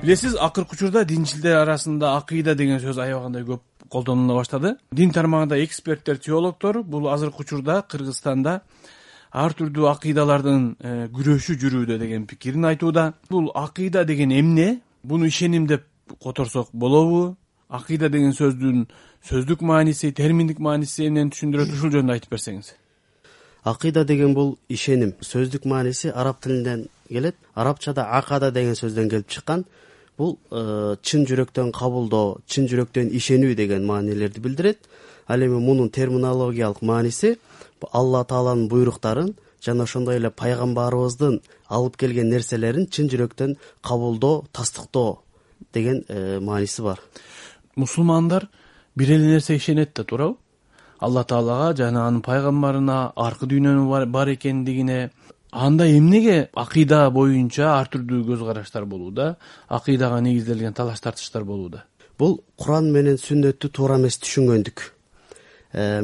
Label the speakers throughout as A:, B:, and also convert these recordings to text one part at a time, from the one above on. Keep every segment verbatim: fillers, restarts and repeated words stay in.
A: Билесиз, акыркы учурда динчилдер арасында акыйда деген сөз аябагандай көп колдонула баштады. Дин тармагында эксперттер, теологдор бул азыркы учурда Кыргызстанда ар түрдүү акыйдалардын күрөшү жүрүүдө деген пикирин айтууда. Бул акыйда деген эмне? Буну ишеним деп которсок болобу? Акыйда деген сөздүн сөздүк мааниси, терминдик мааниси эмнени түшүндүрөт? Ушул жөнүндө айтып берсеңиз.
B: Акыйда деген бул ишеним. Сөздүк мааниси араб тилинен келет. Арабчада акада деген сөздөн келип чыккан. Бул чын жүрөктөн кабылдоо, чын жүрөктөн ишенүү деген маанилерди билдирет. Ал эми мунун терминологиялык мааниси Алла Тааланын буйруктарын жана ошондой эле пайгамбарыбыздын алып келген нерселерин чын жүрөктөн кабылдоо, тастыктоо деген мааниси бар.
A: Мусулмандар бир эле нерсеге ишенет да, туурабы? Алла Таалага жана анын пайгамбарына, аркы дүйнөнүн бар экендигине. Анда эмнеге акыйда боюнча ар түрдүү көз караштар болууда, акыйдага негизделген талаш тартыштар болууда?
B: Бул Куран менен сүннөттү туура эмес түшүнгөндүк.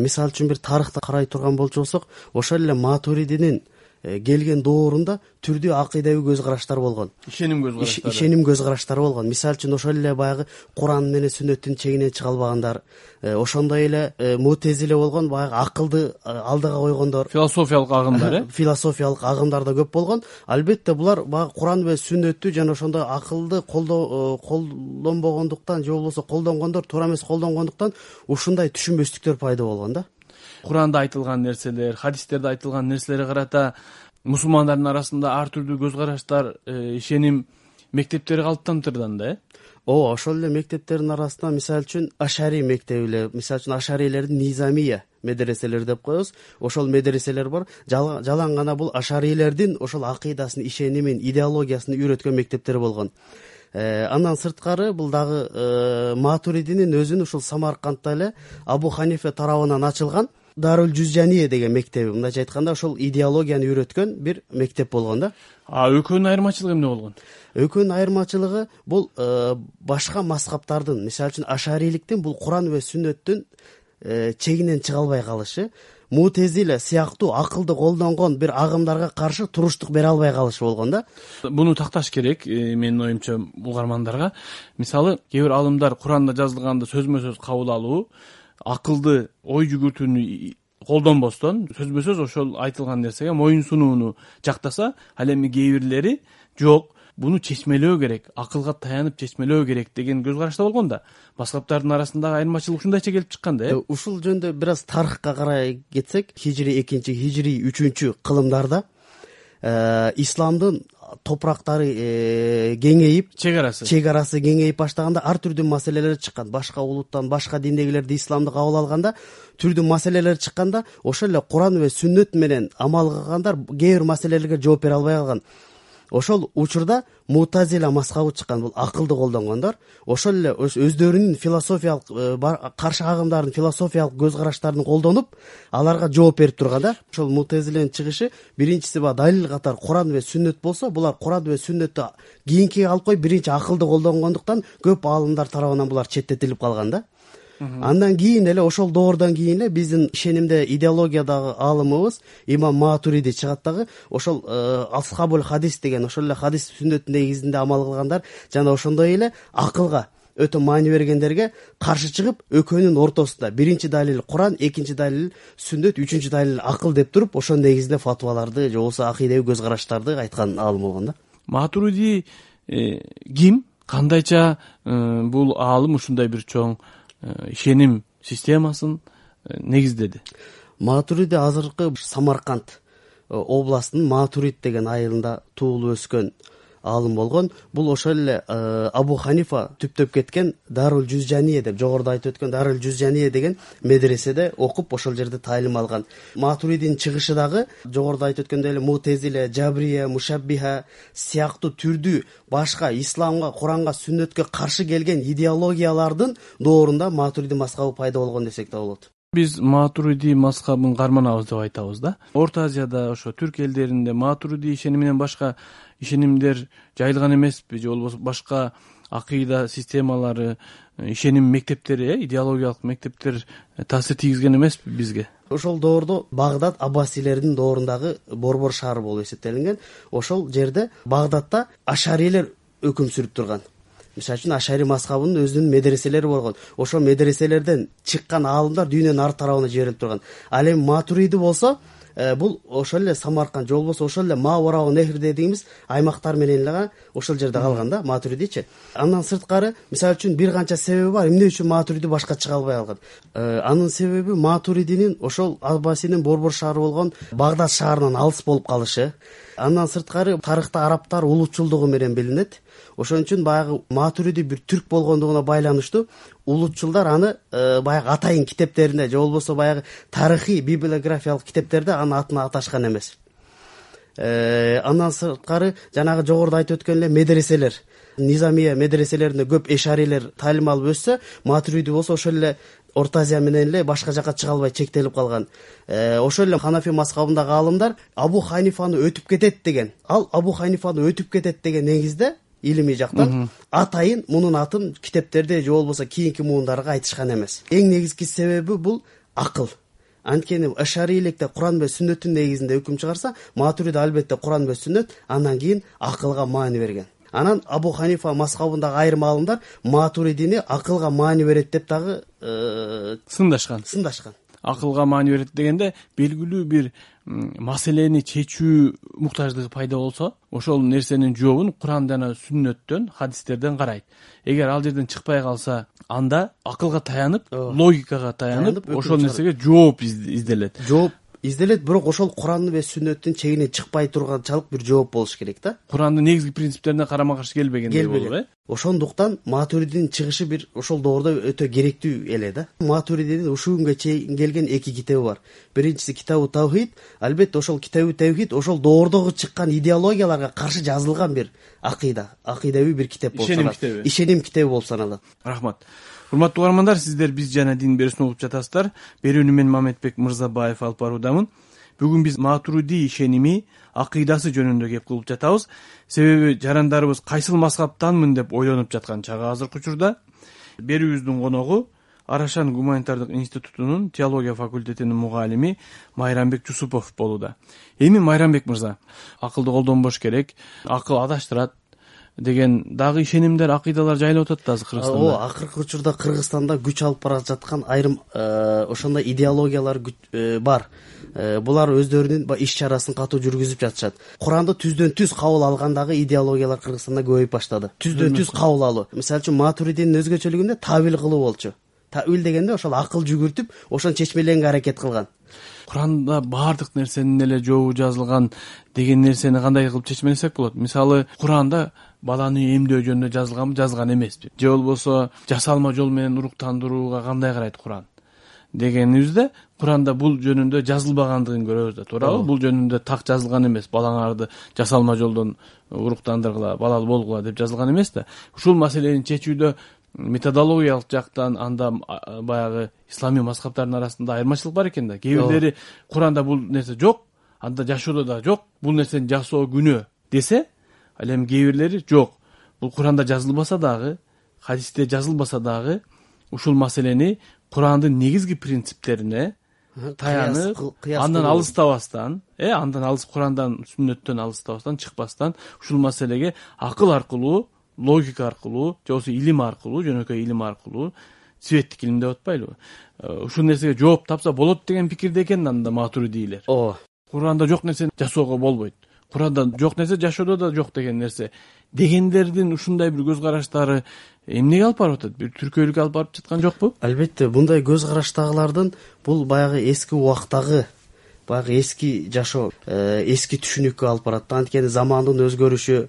B: Мисалы үчүн бир тарыхты карай турган болчусок, ошол эле Матуридинин келген доорунда түрдүү акыйдабый көз караштар болгон.
A: Ишеним көз караштары.
B: Ишеним көз караштары болгон. Мисалы үчүн ошол эле баягы Куран менен сүннөттүн чегинен чыга албагандар, ошондой эле Мутезиле болгон, баягы акылды алдыга койгондор.
A: Философиялык агымдар, э?
B: Философиялык агымдар да көп болгон. Албетте булар баягы Куран менен сүннөттү жана ошондой акылды колдоо колдонбогондуктан же болбосо колдонгондор туура эмес колдонгондуктан ушундай түшүнбөстүктөр пайда болгон да.
A: Куранда айтылган нерселер, хадистерде айтылган нерселерге карата мусулмандардын арасында ар түрдүү көз караштар, ишеним мектептери калыптанып турган да, э?
B: Ооба, ошол эле мектептердин арасында мисалы үчүн Ашари мектеби, мисалы үчүн Ашарилердин Низамия медреселери деп коебуз. Ошол медреселер бар. Жалаң гана бул Ашарилердин ошол акыйдасын, ишенимин, идеологиясын үйрөткөн мектептер болгон. Андан сырткары бул дагы Матуридинин өзүнүн ушул Самаркандта эле Абу Ханифе тарабынан ачылган Дарул Жузжания деген мектеби, мындайча айтканда ошол идеологияны үйрөткөн бир мектеп болгон да.
A: А экөөнүн айырмачылыгы эмне болгон?
B: Экөөнүн айырмачылыгы бул башка мазхабтардын, мисалы үчүн Ашариликтин бул Куран ва сүннөттүн чегинен чыга албай калышы, Мутезиле сыяктуу акылды колдонгон бир агымдарга каршы туруштук бере албай калышы болгон да.
A: Буну такташ керек, менин оюмча, угармандарга. Мисалы, кээ бир алымдар Куранда жазылганды сөзмө сөз кабыл алуу, акылды ой жүгүртүүнү колдонбостон сөзбө сөз ошол айтылган нерсеге моюн сунууну жактаса, ал эми кээ бирлери жок, буну чечмелөө керек, акылга таянып чечмелөө керек деген көз карашта болгон да. Мазхабтардын арасындагы айырмачылык ушундайча келип чыккан да, э?
B: Ушул жөнүндө бир аз тарыхка карай кетсек, хижри экинчи, хижри үчүнчү кылымдарда исламдын топурактары кеңейип, чек арасы чек арасы кеңейип баштаганда ар түрдүү маселелер чыккан. Башка улуттан, башка диндегилерди исламды кабыл алганда түрдүү маселелер чыкканда, ошол эле Куран ва сүннөт менен амал кылгандар кээ бир маселелерге жооп бере албай калган. Ошол учурда Мутазила мазхабы чыккан, бул акылды колдонгондор. Ошол эле өздөрүнүн философиялык каршы агымдардын философиялык көз караштарын колдонуп, аларга жооп берип турган да. Ошол Мутазиленин чыгышы биринчиси ба далил катары Куран ва сүннөт болсо, булар Куран ва сүннөттү кийинкиге алып коюп, биринчи акылды колдонгондуктан көп аалымдар тарабынан булар четтетилип калган да. Андан кийин эле ошол доордон кийин эле биздин ишенимде идеологиядагы аалымыбыз Имам Матуриди чыгат дагы, ошол Асхабул Хадис деген ошол эле хадис сүннөттүн негизинде амал кылгандар жана ошондой эле акылга өтө маани бергендерге каршы чыгып, экөөнүн ортосунда биринчи далил Куран, экинчи далил сүннөт, үчүнчү далил акыл деп туруп, ошонун негизинде фатваларды же болбосо акыйдабый көз караштарды айткан аалым болгон да.
A: Матуриди ким? Кандайча бул аалым ушундай бир чоң ишеним системасын негиздеди?
B: Матуриди азыркы Самарканд областынын Матурид деген айылында туулуп өскөн аалым болгон. Бул ошол эле Абу Ханифа түптөп кеткен Дарул Жузжания деп, жогоруда айтып өткөн Дарул Жузжания деген медреседе окуп, ошол жерде таалим алган. Матуридин чыгышы дагы жогоруда айтып өткөндөй эле Мутезиле, Жабрия, Мушаббиха сыяктуу түрдүү башка исламга, Куранга, сүннөткө каршы келген идеологиялардын доорунда Матуриди мазхабы пайда болгон десек да болот.
A: Биз Матуриди мазхабын карманабыз деп айтабыз да. Орто Азияда, ошо Түрк элдеринде Матуриди ишениминен башка ишенимдер жайылган эмеспи, же болбосо башка акыйда системалары, ишеним мектептери, идеологиялык мектептер таасир тийгизген эмеспи бизге?
B: Ошол доордо Багдад Аббасилердин доорундагы борбор шаары болуп эсептелинген. Ошол жерде Багдадта Ашарилер өкүм сүрүп турган. мисалы үчүн ашари мазхабынын өзүнүн медреселери болгон. Ошол медреселерден чыккан аалымдар дүйнөнүн ар тарабына жиберилип турган. Ал эми Матуриди болсо бул ошол эле Самарканд же болбосо ошол эле Маварао нехр дегенибиз аймактар менен эле ошол жерде калган да Матуридичи. Андан сырткары мисалы үчүн бир канча себеби бар эмне үчүн Матуриди башка чыга албай калган. Анын себеби Матуридинин ошол Аббасинин борбор шаары болгон Багдад шаарынан алыс болуп калышы. Андан сырткары тарыхта арабтар улутчулдугу менен билинет. Ошон үчүн баягы Матуриди бир түрк болгондугуна байланыштуу улутчулдар аны баягы атайын китептеринде же болбосо баягы тарыхый библиографиялык китептерде анын атын аташкан эмес. Андан сырткары жанагы жогоруда айтып өткөн эле медреселер, Низамия медреселеринде көп эшарилер таалим алып өссө, Матуриди болсо ошол эле Орто Азия менен эле башка жака чыга албай чектелип калган. Ошол эле Ханафи мазхабындагы аалымдар Абу Ханифаны өтүп кетет деген, ал Абу Ханифаны өтүп кетет деген негизде илимий жактан атайын мунун атын китептерде же болбосо кийинки муундарга айтышкан эмес. Эң негизги себеби бул акыл. Анткени ашариликте Куран менен сүннөттүн негизинде өкүм чыгарса, Матуриди албетте Куран менен сүннөт, андан кийин акылга маани берген. Анан Абу Ханифа мазхабындагы айрым аалымдар Матуридини акылга маани берет деп дагы
A: сындашкан.
B: Сындашкан.
A: Акылга маани берет дегенде белгилүү бир маселени чечүү муктаждыгы пайда болсо, ошол нерсенин жообун Куран жана сүннөттөн, хадистерден карайт. Эгер ал жерден чыкпай калса, анда акылга таянып, логикага таянып, ошол нерсеге жооп изделет.
B: Жооп изделет, бирок ошол Куранды же сүннөттүн чегинен чыкпай турганчалык бир жооп болуш керек да.
A: Курандын негизги принциптерине карама каршы келбегендей болуп, э?
B: Ошондуктан Матуридинин чыгышы бир ошол доордо өтө керектүү эле да. Матуридинин ушул күнгө чейин келген эки китеби бар. Биринчиси Китабу Тавхид, албетте ошол Китабу Тавхид ошол доордогу чыккан идеологияларга каршы жазылган бир акыйда, акыйдавий бир китеп болуп саналат. Ишеним китеби болуп саналат.
A: Рахмат. Урматтуу угармандар, сиздер Биз жана дин берүүсүн угуп жатасыздар. Берүүнү мен Мамедбек Мырзабаев алып баруудамын. Бүгүн биз Матуриди ишеними, акыйдасы жөнүндө кеп кылып жатабыз. Себеби жарандарыбыз кайсыл мазхабтанмын деп ойлонуп жаткан чагы азыркы учурда. Берүүбүздүн коногу Арашан гуманитардык институтунун теология факультетинин мугалими Майрамбек Жусупов болууда. Эми Майрамбек мырза, акылды колдонбош керек, акыл адаштырат деген дагы ишенимдер, акыйдалар жайылып атат да азыр Кыргызстанда.
B: О, акыркы учурда Кыргызстанда күч алып бара жаткан айрым ошондой идеологиялар бар. Булар өздөрүнүн иш чарасын катуу жүргүзүп жатышат. Куранды түздөн түз кабыл алгандагы идеологиялар Кыргызстанда көбөйүп баштады. Түздөн түз кабыл алуу. Мисалы үчүн Матуридинин өзгөчөлүгүндө тавил кылуу болчу. Тавил дегенде ошол акыл жүгүртүп, ошону чечмеленге аракет кылган.
A: Куранда баардык нерсенин эле жообу жазылган деген нерсени кандай кылып чечмелесек болот? Мисалы, Куранда баланы эмдөө жөнүндө жазылганбы, жазылган эмеспи? Же болбосо жасалма жол менен уруктандырууга кандай карайт Куран дегенибизде, Куранда бул жөнүндө жазылбагандыгын көрөбүз да, туурабы? Бул жөнүндө так жазылган эмес. Балаңарды жасалма жолдон уруктандыргыла, балалуу болгула деп жазылган эмес да. Ушул маселени чечүүдө методологиялык жактан анда баягы исламий мазхабтардын арасында айырмачылык бар экен да. Кээ бирлери Куранда бул нерсе жок, анда жашоодо да жок, бул нерсени жасоо күнөө десе, ал эми кээ бирлери жок. Бул Куранда жазылбаса дагы, хадисте жазылбаса дагы ушул маселени Курандын негизги принциптерине таянып, андан алыстабастан, э, андан алыс Курандан, сүннөттөн алыстабастан, чыкпастан ушул маселеге акыл аркылуу, логика аркылуу, же болбосо илим аркылуу, жөнөкөй илим аркылуу, светтик илим деп атпайлыбы? Ушул нерсеге жооп тапса болот деген пикирде экен анда Матуридилер.
B: О,
A: Куранда жок нерсени жасоого болбойт. Куранда жок нерсе жашоодо да жок деген нерсе. Дегендердин ушундай бир көз караштары эмнеге алып барып атат? Бир түркөйлүккө алып барып жаткан жокпу?
B: Албетте, мындай көз караштагылардын бул баягы эски убактагы, баягы эски жашоо, эски түшүнүккө алып барат. Анткени замандын өзгөрүшү,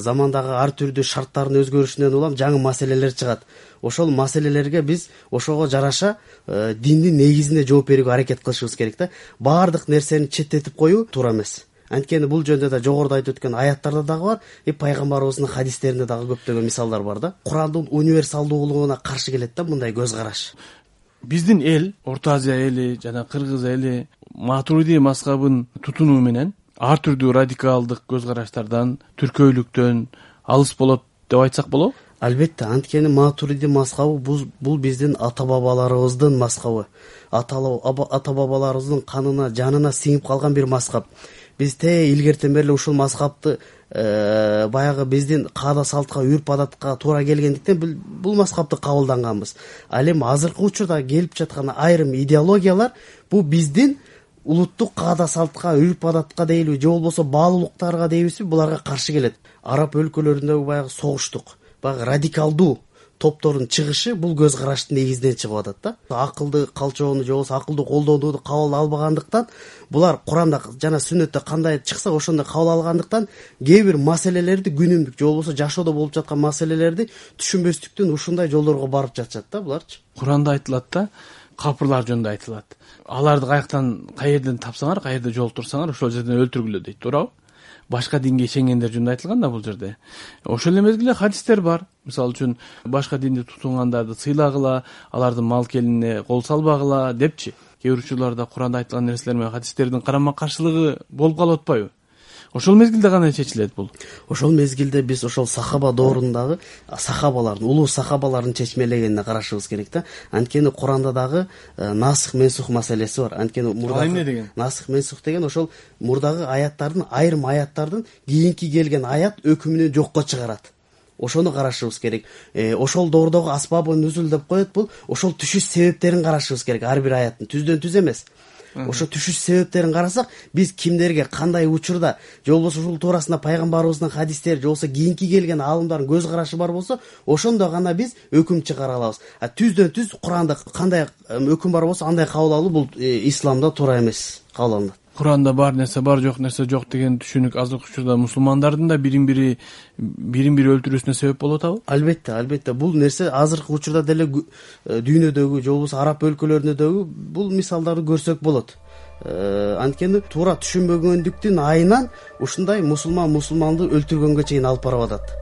B: замандагы ар түрдүү шарттардын өзгөрүшүнөн улам жаңы маселелер чыгат. Ошол маселелерге биз ошого жараша диндин негизинде жооп берүүгө аракет кылышыбыз керек да. Баардык нерсени четтетип коюу туура эмес. Анткени бул жөнүндө да жогоруда айтып өткөн аяттарда дагы бар, и пайгамбарыбыздын хадистеринде дагы көптөгөн мисалдар бар да. Курандын универсалдуулугуна каршы келет да мындай көз караш.
A: Биздин эл, Орто Азия эли жана Кыргыз эли Матуриди мазхабын тутунуу менен ар түрдүү радикалдык көз караштардан, түркөйлүктөн алыс болот деп айтсак болобу?
B: Албетте, анткени Матуриди мазхабы бул биздин ата-бабаларыбыздын мазхабы. Ата-бабаларыбыздын канына, жанына сиңип калган бир мазхаб. биз те илгертен бери эле ушул мазхабты баягы биздин каада салтка, үрп адатка туура келгендиктен бул мазхабты кабылданганбыз. Ал эми азыркы учурда келип жаткан айрым идеологиялар бул биздин улуттук каада салтка, үрп адатка дейбиз, же болбосо баалуулуктарга дейбизби, буларга каршы келет. Араб өлкөлөрүндөгү баягы согуштук, баягы радикалдуу топтордун чыгышы бул көз караштын негизинен чыгып атат да. Акылды калчоону же болбосо акылдуу колдонууну кабыл албагандыктан, булар Куранда жана Сүннөттө кандай чыкса ошондой кабыл алгандыктан кээ бир маселелерди, күнүмдүк же болбосо жашоодо болуп жаткан маселелерди түшүнбөстүктөн ушундай жолдорго барып жатышат да буларчы.
A: Куранда айтылат да, капырлар жөнүндө айтылат. Аларды каяктан, каерден тапсаңар, каерде жолтурсаңар, ошол жерден өлтүргүлө дейт, туурабы? Башка динге ишенгендер жөнүндө айтылган да бул жерде. Ошол эле мезгилде хадистер бар. Мисалы үчүн башка динди тутунгандарды сыйлагыла, алардын мал келинине кол салбагыла депчи. Кээ бир учурларда Куранда айтылган нерселер менен хадистердин карама каршылыгы болуп калып атпайбы? Ошол мезгилде кандай чечилет бул?
B: Ошол мезгилде биз ошол сахаба доорундагы сахабалардын, улуу сахабалардын чечмелегенине карашыбыз керек да. Анткени Куранда дагы насых менсух маселеси бар. Анткени мурда
A: эмне деген?
B: Насых менсух деген ошол мурдагы аяттардын, айрым аяттардын кийинки келген аят өкүмүнө жокко чыгарат. Ошону карашыбыз керек. Э, ошол доордогу асбабы нүзул деп коет бул. Ошол түшүш себептерин карашыбыз керек ар бир аяттын. Түздөн түз эмес. Ошо түшүш себептерин карасак, биз кимдерге кандай учурда, же болбосо ушул туурасында пайгамбарыбыздын хадистери, же болбосо кийинки келген аалымдардын көз карашы бар болсо, ошондо гана биз өкүм чыгара алабыз. А түздөн түз Куранда кандай өкүм бар болсо, андай кабыл алуу бул исламда туура эмес кабыл алынат.
A: Куранда бар нерсе бар, жок нерсе жок деген түшүнүк азыркы учурда мусулмандардын да бирин бири бирин бири өлтүрүүсүнө себеп болуп атабы?
B: Албетте, албетте. Бул нерсе азыркы учурда деле дүйнөдөгү, же болбосо араб өлкөлөрүндөгү бул мисалдарды көрсөк болот. Анткени туура түшүнбөгөндүктүн айынан ушундай мусулман мусулманды өлтүргөнгө чейин алып барып атат.